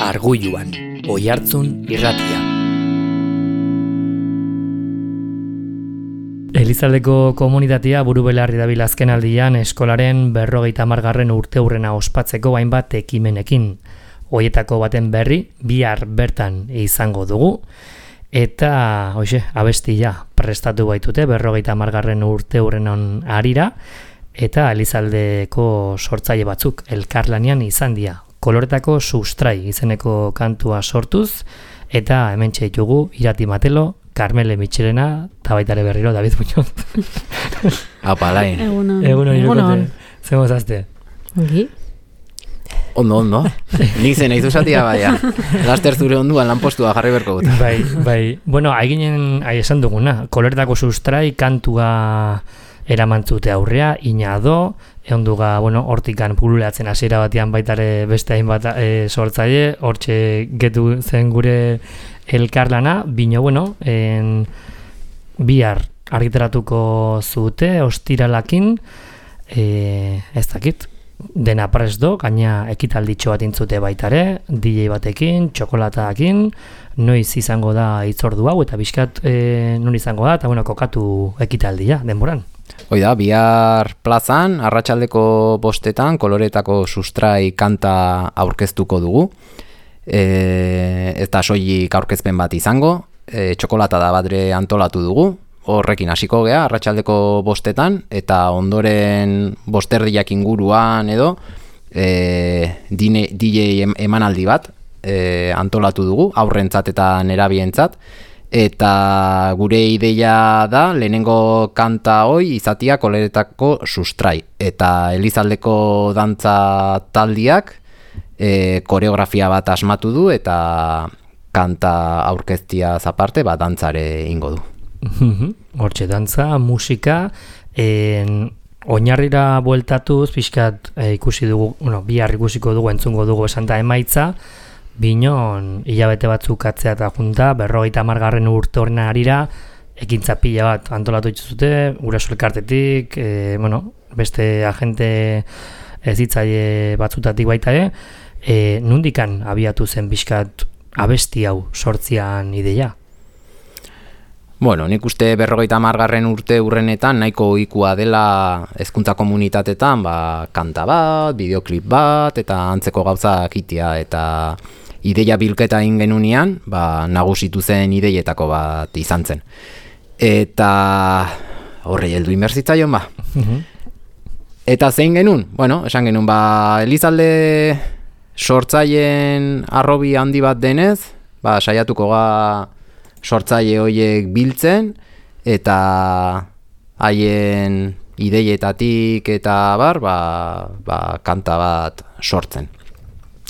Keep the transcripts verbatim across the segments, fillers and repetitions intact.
Argulluan, Oihartzun irratia. Elizaldeko komunitatea buru belarri dabil azkenaldian eskolaren berrogeita hamargarren urteurrena ospatzeko hainbat ekimenekin. Hoietako baten berri bihar bertan izango dugu eta hoxe, abestia prestatu baitute berrogeita hamargarren urteurrenon harira eta Elizaldeko sortzaile batzuk elkarlanean izan dira. Koloretako sustrai izeneko kantua sortuz eta hementxe ditugu Irati Matelo, Carmele Mitxelena, eta baita ere berriro, David Muñoz. Apalain. Egunon. Egunon, irukote. Zer mozazte? Ongi. Ondo, ondo. Nik zen eizu zatia baina. Laster zure onduan lanpostua jarri berko dut. Bai, bai. Bueno, haiginen, hai esan duguna, koloretako sustrai kantua eramantzute aurrea, ina do, egon duga, bueno, hortikan pululeatzen hasiera batean baitare beste hainbat e, sortzaile, hortxe getu zen gure elkarlana, bino, bueno, en, bihar argitaratuko zute, ostiralakin, e, ez dakit, dena prest do, gaina ekitalditxo bat intzute baitare, D J batekin, txokolatakin, noiz izango da itzordu hau, eta bizkat e, non izango da, eta bueno, kokatu ekitaldia, denboran. Hoi da, bihar plazan, arratsaldeko bostetan, koloretako sustrai kanta aurkeztuko dugu. E, eta soilik aurkezpen bat izango, e, txokolata da badre antolatu dugu, horrekin hasiko gea, arratsaldeko bostetan, eta ondoren bosterdiak inguruan edo, e, D J emanaldi bat e, antolatu dugu, aurrentzat eta nerabientzat, eta gure ideia da lehenengo kanta hoi izatia koloretako sustrai, eta Elizaldeko dantza taldiak e, koreografia bat asmatu du eta kanta aurkeztia zaparte bat dantzare ingo du. Hortxe, dantza, musika, en, oinarrira bueltatuz, pixkat e, ikusi dugu, bueno, bihar ikusiko dugu, entzungo dugu esan da emaitza, binon hilabete batzuk atzea eta junta, berrogeita hamargarren urte horren harira, ekintza pila bat antolatu dituzute, guraso elkartetik, e, bueno, beste agente ezitzaile batzutatik baita ere, e, nundikan abiatu zen pixkat abesti hau sortzian ideia? Bueno, nik uste berrogeita hamargarren urte urrenetan nahiko ohikoa dela hezkuntza komunitatetan, ba, kanta bat, bideoklip bat, eta antzeko gauza kitia, eta ideia bilketa egin genunean, ba, nagusitu zen ideietako bat izan zen. Eta horrei heldu inbertsitzaion, ba. Eta zein genuen? Bueno, esan genuen, ba, Elizalde sortzaileen arrobi handi bat denez, ba, saiatuko ga sortzaile horiek biltzen, eta haien ideietatik eta bar, ba, ba, kanta bat sortzen.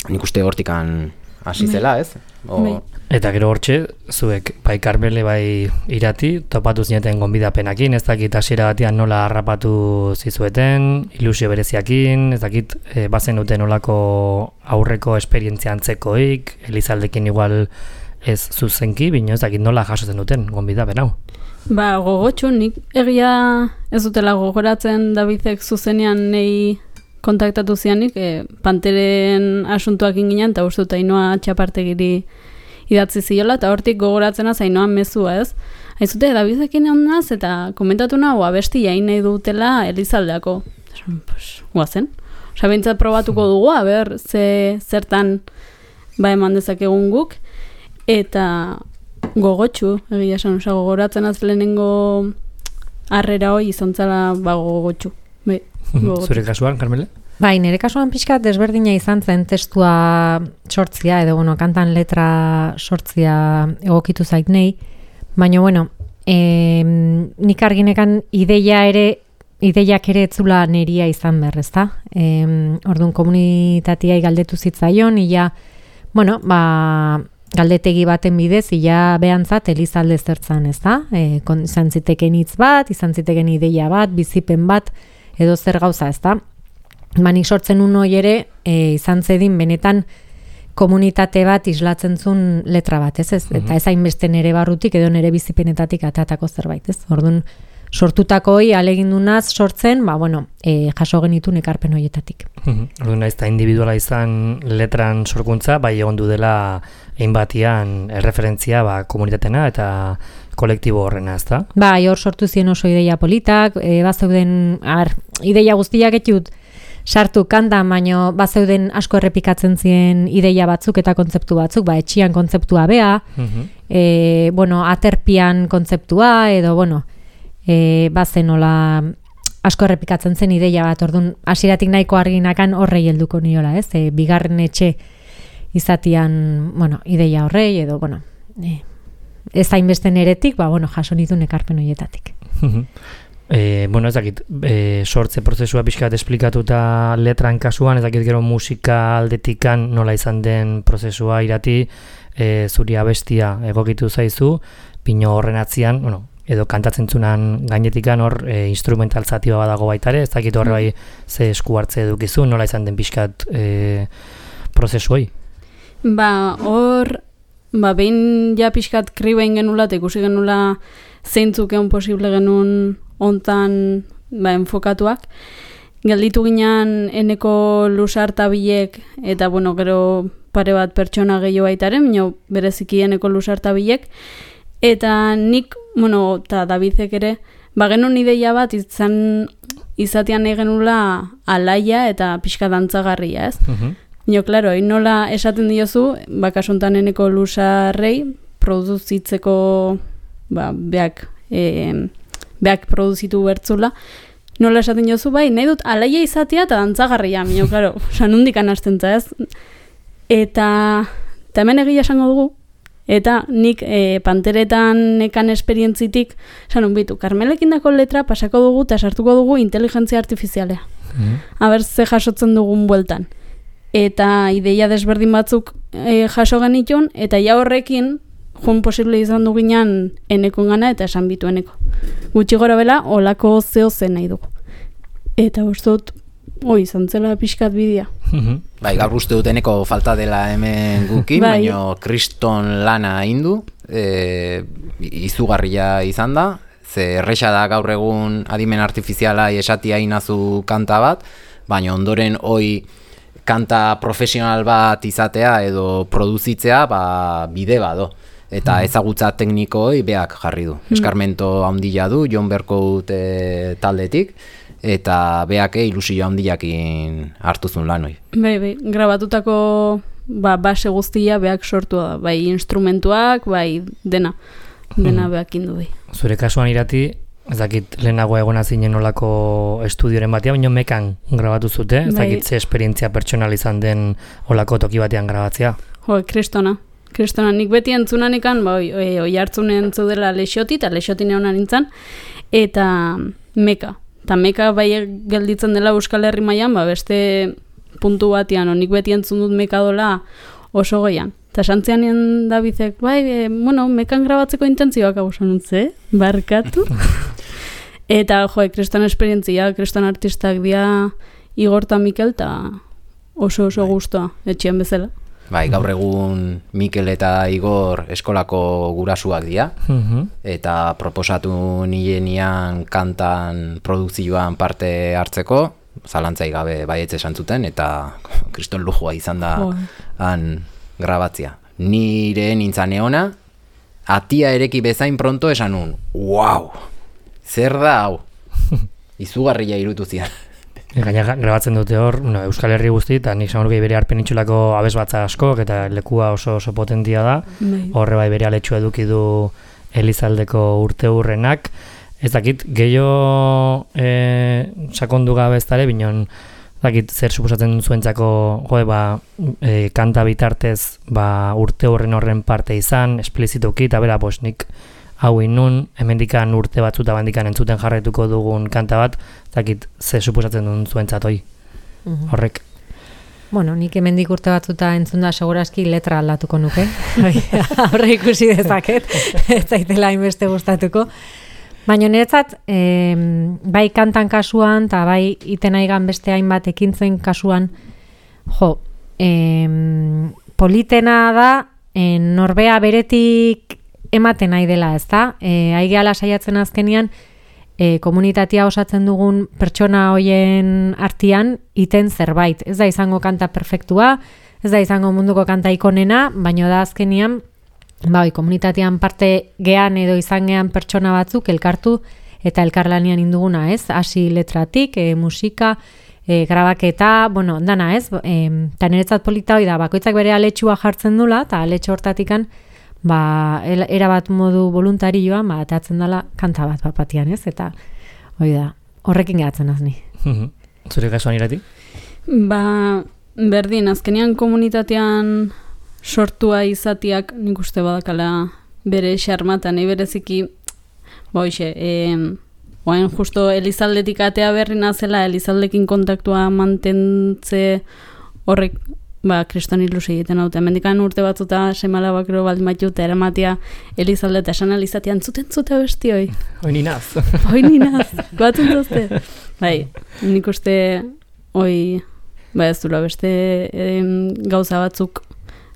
Nik uste hortikan hasi zela, ez? O... Eta gero hortxe, zuek bai Carmele bai Irati, topatu zineten gonbidapenakin, ez dakit hasiera batean nola harrapatu zizueten, ilusio bereziakin, ez dakit e, bazen duten nolako aurreko esperientzia antzekoik, Elizaldekin igual ez zuzenki, bino ez dakit nola jasotzen duten gonbidapen hau. Ba, gogotxu, nik egia ez dutela gogoratzen Davidek zuzenean nei kontaktatu zianik, e, Panteren asuntuak inginen, eta uste dut Ainoa Txapartegiri idatzi ziola, eta hortik gogoratzena Ainoan mezua, ez? Aizute, Davidekin ondaz, eta komentatu nahu abesti jain nahi dutela Elizaldeako. Pues, guazen. Osa, bintzat probatuko dugu, aber, ze, zertan ba eman dezakegun guk, eta gogotxu, egia esan, osa, gogoratzen az lehenengo harrera hoi izantzala ba gogotxu. Bai. Zure kasuan, Carmele? Bai, nire kasuan pixka desberdina izan zen testua sortzia, edo, bueno, kantan letra sortzia egokitu zait nei, baina, bueno, e, nik arginekan ideia ere, ideiak ere etzula neria izan behar, ezta? E, orduan komunitatiai galdetu zitzaion, ia, bueno, ba, galdetegi baten bidez, ia behantzat Elizalde zertzan, ezta? E, kon, izan ziteken hitz bat, izan ziteken ideia bat, bizipen bat, edo zer gauza, ezta? Manik sortzen un hoi ere, e, izan zedin benetan komunitate bat islatzen zuen letra bat, ez ez? Eta ez hainbeste nere barrutik edo nere bizipenetatik atatako zerbait, ez? Orduan, sortutakoi alegindunaz sortzen, ba, bueno, e, jaso genitun ekarpen horietatik. Orduan naiz eta individuala izan letran sorkuntza, bai egon du dela hainbatian erreferentzia ba, komunitatena eta kolektibo horrena, ezta? Bai, hor sortu ziren oso ideia politak, e, bazeuden, ar, ideia guztiak etxut sartu kantan, baino bazeuden asko errepikatzen ziren ideia batzuk eta kontzeptu batzuk, ba, etxian kontzeptua bea, uh-huh. e, bueno, aterpian kontzeptua, edo, bueno, e, bazen nola asko errepikatzen zen ideia bat, orduan hasieratik nahiko arginakan horrei helduko niola, ez? E, bigarren etxe izatian, bueno, ideia horrei, edo, bueno, e, ez hainbeste neretik, ba, bueno, jaso nituen ekarpen horietatik. E, bueno, ez dakit, e, sortze prozesua pixkat esplikatuta letran kasuan, ez dakit gero musika aldetikan nola izan den prozesua irati, e, zuri abestia egokitu zaizu, pino horren atzian, bueno, edo kantatzen zunan gainetikan hor e, instrumental zati badago baitare, ez dakit horre bai ze esku hartze edukizu, nola izan den pixkat e, prozesu hoi? Ba, hor, ba, behin ja pixkat kriba ingenula, eta ikusi genula zeintzuk egon posible genuen ontan ba, enfokatuak. Gelditu ginean eneko lusarta bilek, eta bueno, gero pare bat pertsona gehiago baitaren, minio bereziki eneko lusarta bilek, eta nik, bueno, eta Davidek ere, ba genuen ideia bat izan izatean egenula alaia eta pixka dantzagarria, ez? Uh-huh. Nio, klaro, nola esaten diozu, bakasuntan eneko lusarrei, produzitzeko, ba, beak, e, beak produzitu bertzula, nola esaten diozu, bai, nahi dut alaia izatea eta dantzagarria, nio, klaro, osan hundikan hastentza, ez? Eta, eta hemen egia esango dugu, eta nik e, panteretan nekan esperientzitik, esan bitu, Karmelekin dako letra pasako dugu eta sartuko dugu inteligentzia artifizialea. Mm. Aber ze jasotzen dugun bueltan. Eta ideia desberdin batzuk e, jaso genitun, eta ja horrekin, joan posible izan duginan enekon gana eta esan bitu eneko. Gutxi gora bela, olako zeo zen nahi dugu. Eta ustot, oi, izan zela pixkat bidea. Bai, gaur uste dut eneko falta dela hemen gukin, bai. Baina kriston lana indu, e, izugarria izan da, ze erresa da gaur egun adimen artifiziala esatia inazu kanta bat, baina ondoren hoi kanta profesional bat izatea edo produzitzea ba, bide bado. Eta ezagutza teknikoi beak jarri du. Eskarmento handia du, Jon Berkout e, taldetik, eta beake ilusio handiakin hartuzun lanoi. Bai, bai, grabatutako ba, base guztia beak sortu da, bai instrumentuak, bai dena, dena beak indu bai. Zure kasuan irati, ez dakit lehenago egona zinen olako estudioren batean, baina mekan grabatu zute, ez dakit bai. Ze esperientzia pertsonal izan den olako toki batean grabatzea. Jo, kristona. Kristona, nik beti entzunanikan, ba, oi, oi, oi hartzunen zudela Lexoti, eta Lexoti neona nintzen, eta meka. Eta meka bai gelditzen dela Euskal Herri mailan, ba, beste puntu batean, nik beti entzun dut meka dola oso goian. Eta santzean nien Davidek, bai, e, bueno, mekan grabatzeko intentzioak hau sanutze, barkatu. Eta, jo, kriston esperientzia, kriston artistak dia Igor eta Mikel, eta oso oso gustoa, etxean bezala. Bai, gaur egun Mikel eta Igor eskolako gurasuak dira, uh-huh. eta proposatu nienian kantan produkzioan parte hartzeko, zalantzai gabe baietz esan zuten, eta kriston lujua izan da oh. han grabatzia. Nire nintzan eona, atia ereki bezain pronto esan nun, wow, zer da hau, izugarria irutu zian. Gaina grabatzen dute hor, no, Euskal Herri guzti, eta nik zaurgei bere arpenitxulako abez batza askok, eta lekua oso oso potentia da. Horre bai bere aletxua eduki du Elizaldeko urte hurrenak. Ez dakit, gehiago e, sakondu gabe ez dara, binon, dakit zer suposatzen zuentzako joe, ba, e, kanta bitartez ba, urte hurren horren parte izan, esplizituki, eta bera, bos, nik hau inun, hemendikan urte batzuta bandikan entzuten jarraituko dugun kanta bat, zakit ze suposatzen duen zuentzat hoi, uh-huh. horrek. Bueno, nik hemendik urte batzuta entzun da segurazki letra aldatuko nuke, horre ikusi dezaket, ez zaitela hainbeste gustatuko. Baina niretzat, eh, bai kantan kasuan, eta bai iten aigan beste hainbat ekintzen kasuan, jo, eh, politena da, eh, norbea beretik ematen nahi dela, ez da? E, Aigeala saiatzen azkenian, e, komunitatea osatzen dugun pertsona hoien artean iten zerbait. Ez da izango kanta perfektua, ez da izango munduko kanta ikonena, baina da azkenian, ba, oi, komunitatean parte gean edo izan gean pertsona batzuk elkartu eta elkarlanian induguna, ez? Hasi letratik, e, musika, e, grabaketa, bueno, dana, ez? E, eta niretzat polita hoi da, bakoitzak bere aletxua jartzen dula, eta aletxo hortatikan, ba, erabat modu voluntarioan, ba, atatzen dela kanta bat bapatian, ez? Eta, hoi da, horrekin gehatzen azni. Zure kasuan irati? Ba, berdin, azkenean komunitatean sortua izatiak nik uste badakala bere xarmatan, nahi bereziki, ba, hoxe, e, oain justo Elizaldetik atea berri nazela, Elizaldekin kontaktua mantentze horrek, ba, kriston ilusi egiten haute. Mendikan urte batzuta semala bakero baldin batut eramatia Elizalde eta esan Elizatean zuten zute besti hoi. Hoi ninaz. Hoi ninaz, batzun zazte. Bai, nik uste hoi, ba ez dula beste em, gauza batzuk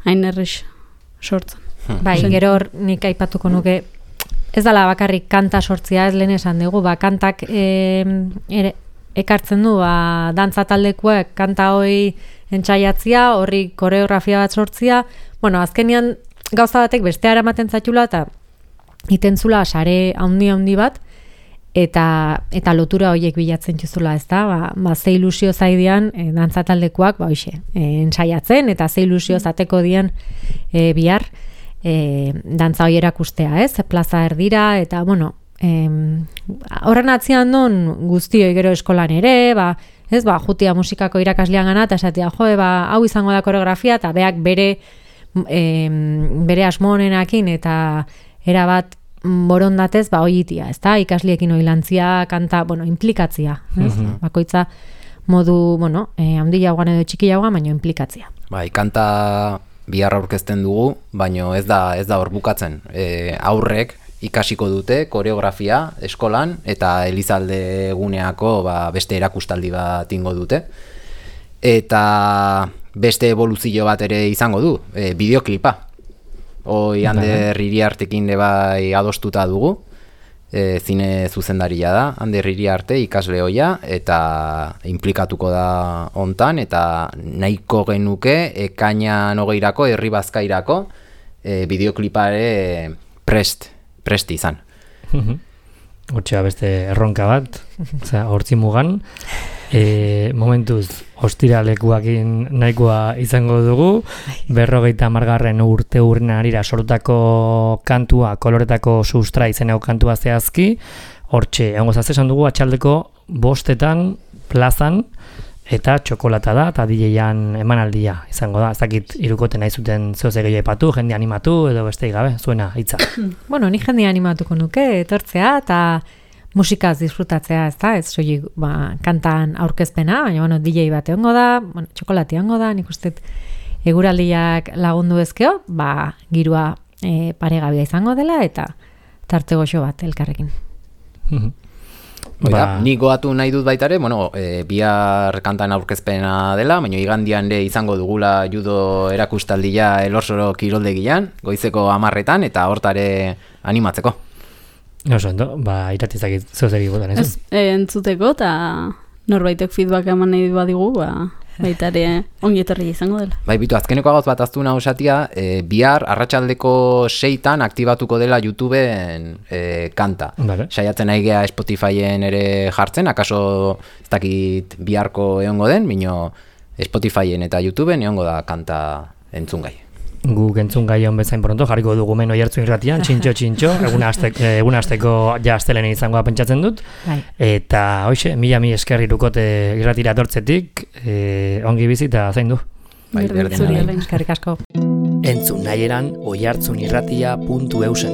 hain errex sortzen. Bai, gero hor nik aipatuko nuke, ez dala bakarrik kanta sortzia, ez lehen esan dugu, ba, kantak e, ere, ekartzen du, ba, dantza taldekuek kanta hoi entxaiatzia, horri koreografia bat sortzia, bueno, azkenian gauza batek bestea eramaten zaitula, eta itentzula sare handi-handi bat, eta eta lotura horiek bilatzen txuzula, ez da, ba, ba, ze ilusio zaidean e, dantza taldekuak, ba, hoxe, e, entsaiatzen, eta ze ilusio zateko dian e, bihar, E, dantza hoi erakustea, ez? Plaza erdira, eta, bueno, em, horren atzian don guztioi gero eskolan ere, ba, ez, ba, jutia musikako irakaslean gana, eta esatea, joe, ba, hau izango da koreografia, eta beak bere, em, bere asmonenakin, eta erabat borondatez, ba, hoitia, ez da? Ikasliekin oilantzia, kanta, bueno, implikatzia, ez? Mm-hmm. Bakoitza modu, bueno, eh, handiagoan edo txikiagoan, baino implikatzia. Bai, kanta bihar aurkezten dugu, baino ez da ez da hor bukatzen. E, aurrek ikasiko dute koreografia eskolan eta Elizalde eguneako ba, beste erakustaldi bat ingo dute. Eta beste evoluzio bat ere izango du, e, bideoklipa. Hoi Ander Iriartekin bai adostuta dugu. E, zine zuzendaria da, Ander Iriarte ikasle hoia, eta implikatuko da hontan, eta nahiko genuke ekainan hogeirako, herri bazkairako, e, bideoklipare prest, prest izan. Hortxea beste erronka bat, hortzi mugan, e, momentuz ostiralekuakin nahikoa izango dugu, berrogeita margarren urte urren arira sortutako kantua, koloretako sustra izeneko kantua zehazki, hortxe, egongo zazesan dugu atxaldeko bostetan plazan, eta txokolata da, eta D J-an emanaldia izango da, ez dakit irukote nahi zuten zehoze gehiago epatu, jende animatu, edo beste gabe, zuena, hitza. Bueno, ni jende animatuko nuke, etortzea, eta musikaz disfrutatzea, ez da, ez soilik ba, kantan aurkezpena, baina bueno, D J bat egongo da, bueno, txokolati egongo da, nik uste eguraldiak lagundu ezkeo, ba, girua e, paregabia izango dela, eta tarte goxo bat elkarrekin. Ba, nik goatu nahi dut baitare, bueno, e, bihar kantan aurkezpena dela, baina igandian ere izango dugula judo erakustaldia Elorsoro kiroldegian, goizeko hamarretan, eta hortare animatzeko. Oso, ento, ba, iratizakit zeuzegi botan, ez? Ez, entzuteko, eta norbaitek feedback eman nahi badigu, ba, baita ere ongi etorri izango dela. Bai, bitu, azkeneko gauz bat aztu nahu esatia, e, bihar arratsaldeko seitan aktibatuko dela YouTubeen e, kanta. Vale. Saiatzen nahi gea Spotifyen ere jartzen, akaso ez dakit biharko egongo den, bino Spotifyen eta YouTubeen egongo da kanta entzungai. Guk entzun gai hon bezain pronto, jarriko dugu men oihartzun irratian, txintxo, txintxo, egun azteko, egun azteko ja astelene izangoa pentsatzen dut. Bai. Eta, hoxe, mila mi esker irukote irratira etortzetik, e, ongi bizi eta zain du. Bai, Berdin berdin, zuri, bai. Alain. Eskerrik asko. Entzun nahieran oihartzunirratia puntu eusen.